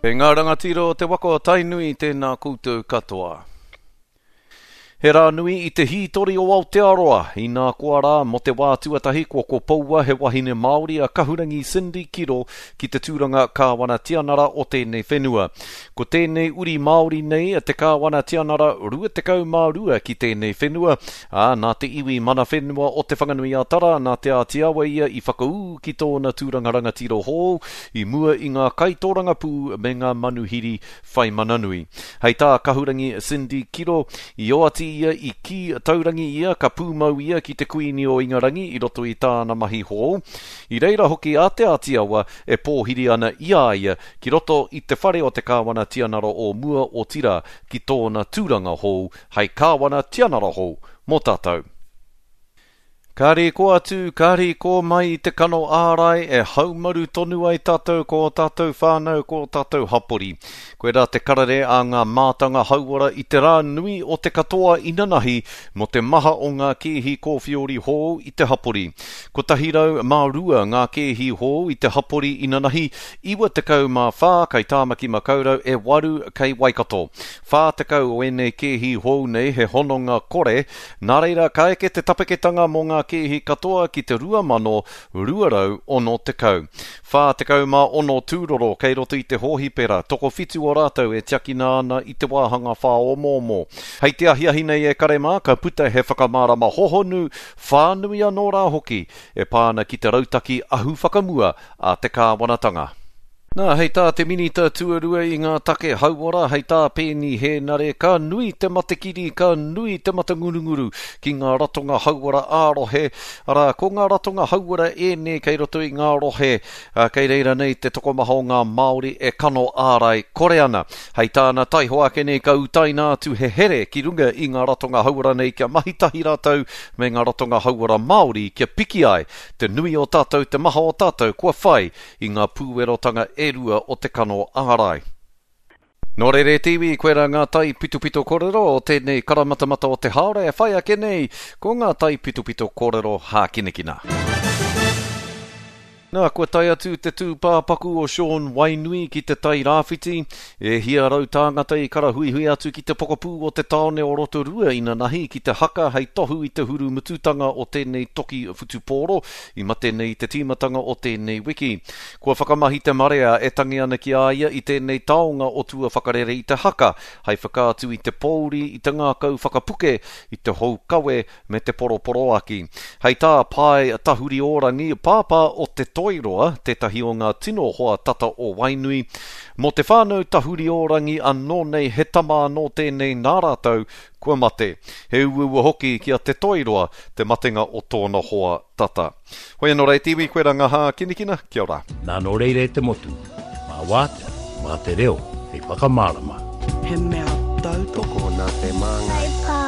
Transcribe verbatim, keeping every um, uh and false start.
E ngā rangatira o te waka o Tainui, tēnā koutou katoa. He rā nui i te hītori o Aotearoa, inā koa rā mō te wā tuatahi kua kopoua he wahine Māori a Kahurangi Cindy Kiro ki te tūranga Kāwana Tianara o tēnei whenua. Ko tēnei uri Māori nei te Kāwana Tianara rua tekau mā rua ki tēnei whenua, ā, nā te iwi mana whenua o Te Whanganui-a-Tara, nā Te Āti Awa ia i whakaū ki tōna tūranga rangatira hou i mua i ngā kaitōrangapū me ngā manuhiri whai mana nui. Hei tā Kahurangi Cindy Kiro, i oati ia i kī taurangi ia ka pūmau ia ki te Kuini o Ingarangi i roto i tāna mahi hou. I reira hoki a Te Āti Awa e pōhiri ana i a ia ki roto i te whare o te Kāwana Tianara o mua, otirā ki tōna tūranga hou hei Kāwana Tianara hou mō tātou. Ka rīko atu, ka rīko mai i te kano ārai e haumaru tonu ai tātou ko ō tātou whānau, ko ō tātou hapori. Koirā te karere a ngā mātanga hauora i te rā nui o te katoa inanahi mō te maha o ngā kēhi kōwhiori hou i te hapori. Kotahi rau mā rua ngā kēhi hou i te hapori inanahi, iwa tekau mā whā kei Tāmaki Makaurau, e waru kei Waikato. Whā tekau o ēnei kēhi hou nei he hononga kore, nā reira ka eke te tapeketanga mō ngā kēhi katoa ki te rua mano rua rau ono tekau. Whā tekau mā ono tūroro kei roto i te hōhipera, tokowhitu o rātou e tiakina ana i te wāhanga whāomoomo. Hei te ahiahi nei e kare mā, ka puta he whakamārama hohonu, whānui anō rā hoki, e pā ana ki te rautaki ahu whakamua a te kāwanatanga. Nā, hei tā te Minita Tuarua i ngā take hauora, hei tā Peeni Hēnare, ka nui te matekiri, ka nui te matangurunguru ki ngā ratonga hauora ā-rohe, arā, ko ngā ratonga hauora ēnei kei roto i ngā rohe, ā, kei reira nei te tokomaha o ngā Māori e kano ārai kore ana. Hei tāna, taihoa ake nei ka utaina atu he here ki runga i ngā ratonga hauora nei kia mahi tahi rātou me ngā ratonga hauora Māori kia piki ai te nui o tātou, te maha o tātou kua whai i ngā pūwerotanga e rua o te kano ārai. Nō reira e te iwi, koirā ngā taipitopito kōrero o tēnei karamatamata o te haora e whai ake nei, ko ngā taipitopito kōrero hākinakina. Nā, kua tae atu te tūpāpaku o Sean Wainui ki te Tai Rāwhiti. E hia rau tāngata i karahuihui atu ki te pokapū o te tāone o Rotorua inanahi ki te haka hei tohu i te hurumututanga o tēnei toki whutupōro i mate nei i te tīmatanga o tēnei wiki. Kua whakamahi te marea e tangi ana ki a ia i tēnei taonga o tua whakarere i te haka hei whakaatu i te pōuri, i te ngākau whakapuke, i te hou kawe me te poroporoaki. Hei tā Pae Tahuriorangi, pāpā o Te Toiroa, tētahi o ngā tino hoa tata o Wainui, mō te whānau Tahuriorangi anō nei he tama anō tēnei nā rātou kua mate. He uaua hoki ki a Te Toiroa te matenga o tōna hoa tata. Hoi anō rā e te iwi, koe rā ngā hākinakina, kia ora. Nā nō reira e te motu, mā wātea, mā te reo hei whakamārama. He mea tautoko. Tokona te māngai. Kai pā.